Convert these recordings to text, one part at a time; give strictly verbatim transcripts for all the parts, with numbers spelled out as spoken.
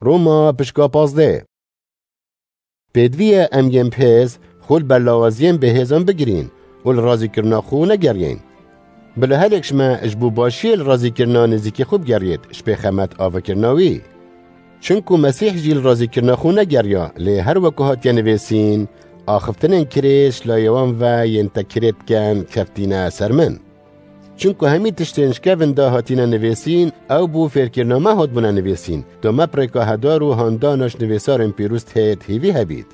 Roma pişka pazdeh. Pêdivî ye em yên bihêz xwe li ber lawaziyên bêhêzan bigirîn û li razîkirina xwe negeriyên. Bila herek ji me ji bo başiyê li razîkirina nêzîkî xwe bigeriyêt, ji pêxemet avakirina wî. Çimku Mesîh jî li razîkirina xwe negeriya, lê her weku hatiye nivîsîn, axiftinên kirêj ji layê wan ve yên te kirê dikin, keftîne ser min. Çimku hemî tiştên ji kevin de hatine nivîsîn, ew bo fêrkirina me hatbûne nivîsîn, da me bi rêka hedar û handana ji nivîsarên pîroz têt hêvî hebît.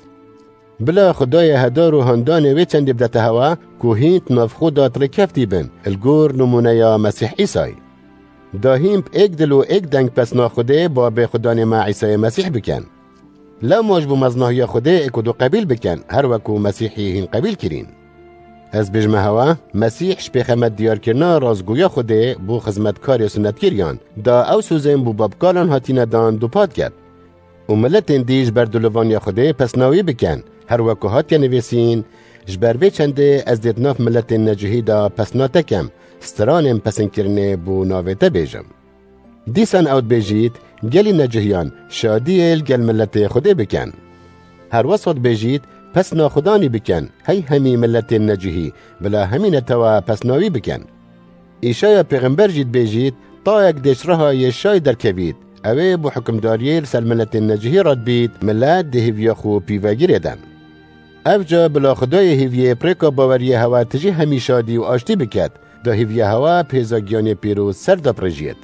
Bila Xwedayê hedar û handanê wê çendê bidete hewa, ku hîn di nav xwe de rêkeftî bin, li gor nimûneya Mesîh Îsayê. Da hîn bi êk dil û êk deng pesna Xwedê Babê Xudanê me Îsayê Mesîh bikin. Lewma ji bo meznahiya Xwedê êk û du qebîl bikin, her weku Mesîhî hîn qebîl kirîn. Ez bêjme hewa, Mesîh ji pêxemet diyarkirina rastgoya Xwedê bo xizmetkarê sunetkiriyan, da ew sozên bo babkalan hatine dan dupat ket. Û miletên dî ji ber dilovaniya Xwedê pesna wî bikin, her weku hatiye nivîsîn, ji ber vê çendê ez dê di nav miletên necihî de pesna te kem, stranên pesinkirinê bo navê te bêjim. Dîsan ew dibêjît, gelî necihiyan şadiyê li gel miletê Xwedê bikin. Her wesa dibêjît, pesna Xudanî bikin, hey hemî miletên necihî, bila hemî netewa pesna wî bikin. Îşaya pêxember jî dibêjît, tayek dê ji riha yê şay derkevît, ew ê bo hukimdariyê li ser miletên necihî re dibît, milet dê hêviya xwe pîvegirê den. Ev ca bila Xwedayê hêviyê bi rêka baweriyê hewa tijî hemî şadî û aştî biket, da hêviya hewa bi hêza giyanê pîroz ser de pirêjiyêt.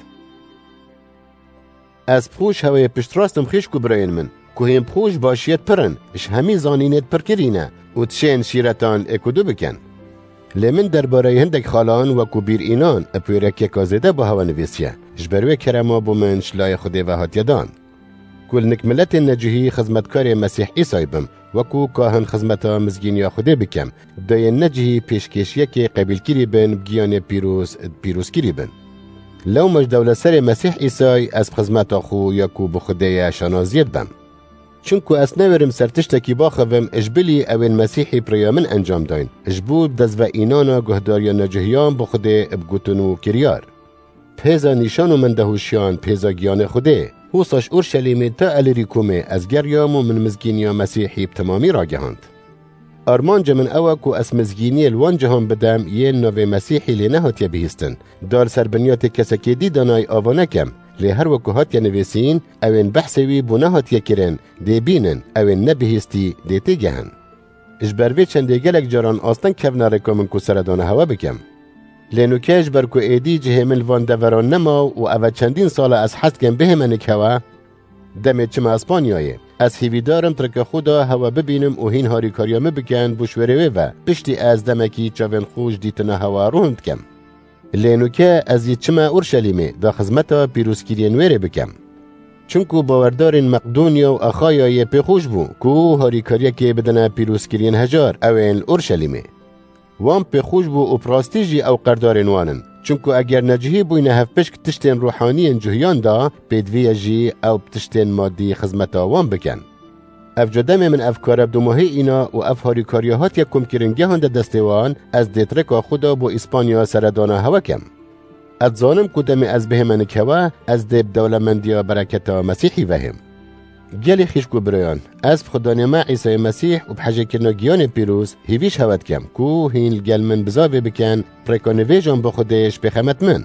Ez bi xwe ji hewayê piştrast im xîşk û birayên min, ku hîn bi xwe ji başiyê pir in, ji hemî zanînê pirkirî ne û dişên şîretan êk û du bikin. Lê min derbareyê hindek xalan wekû bîr înan bi wêrekeka zêde bo hewa nivîsiye, ji ber wê kerema bo min ji layê Xwedê ve hatiye dan. Ku li nik miletên necihî xizmetkarê Mesîh Îsayê bim, wekû kahin xizmeta mizgîniya Xwedê bikim, da yên necihî pêşkêşiyekê qebîlkirî bin bi giyanê pîroz, pîrozkirî bin. Lewma ji dewletserê Mesîh Îsayê ez bi xizmeta xwe ya ku bi Xwedê ye şanaziyê dibim. Çimku ez newêrim ser tiştekî baxivim, ji bilî ew ên Mesîhî bi rêya min encam dayîn, ji bo bi dest ve înana guhdariya necihiyan bi Xwedê bi gotin û kiryar. Bi hêza nîşan û mendehûşiyan, bi hêza giyanê Xwedê. Wisa ji Urşelîmê ta Elîrîkomê ez geriyam û min mizgîniya Mesîhî bi temamî ragihand. Armanca min ew e ku ez mizgîniyê li wan cihan bidem yên navê Mesîhî lê nehatiye bihîstin. Da li ser binyatê kesekê dî danayî ava nekem, lê her weku hatiye nivîsîn, ew ên behsê wî bo nehatiye kirin, dê bînin, ew ên nebihîstî, dê têgehin. Ji ber vê çendê gelek caran asteng kevne rêka min ku seredana hewa bikim. Lê nûke ji ber ku êdî cihê min li van deveran nema û ev e çendîn sal e ez hez dikim bihême nik hewa, demê çime Îspanyayê. Ez hêvîdar im di rêka xwe de hewa bibînim û hîn harîkariya min bikin bo ji wêrê wê ve. Piştî ez demekî çavên xwe ji dîtina hewa rûn dikim. Lê nûke ez yê çime Urşelîmê da xizmeta pîrozkiriyên wêrê bikim. Çimku bawerdarên Meqdonîya û Axayayê pê xweş bû ku harîkariyekê bidine pîrozkiriyên hejar, ew ên li Urşelîmê. Wan pê xweş bû û bi rastî jî ew qerdarên wan in. Çimku eger necihî bûyne hevpişk tiştên ruhaniyên cuhiyan de, pêdivî ye jî ew bi tiştên madî xizmeta wan bikin. Ev ca demê min ev kare bi domahî îna û ev harîkariya hatiye komkirin gehande destê wan, ez dê di rêka xwe de bo Îspanya seredana hewe kem. Ez dizanim ku demê ez bihême nik hewe, ez dê bi dewlemendiya bereketa Mesîhî vehêm. Gelî xîşk û birayan, ez bi Xudanê me Îsayê Mesîh û bi hejêkirina giyanê pîroz hêvî ji hewe dikem ku hîn li gel min bizavê bikin, bi rêka nivêjan bi Xwedê ji pêxemet min.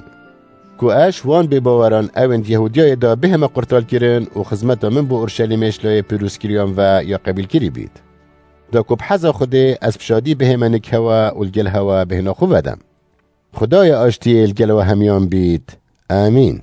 Ku ez ji wan bêbaweran ew ên di Yehûdiyayê de bihême qurtalkirin û xizmeta min bo Urşelîmê ji layê pîrozkiriyan ve ya qebîlkirî bît. Da ku bi heza Xwedê ez bi şadî bihême nik hewe û li gel hewe bêhna xwe vedem. Xwedaya aştiyê li gel we hemiyan bît. Amîn.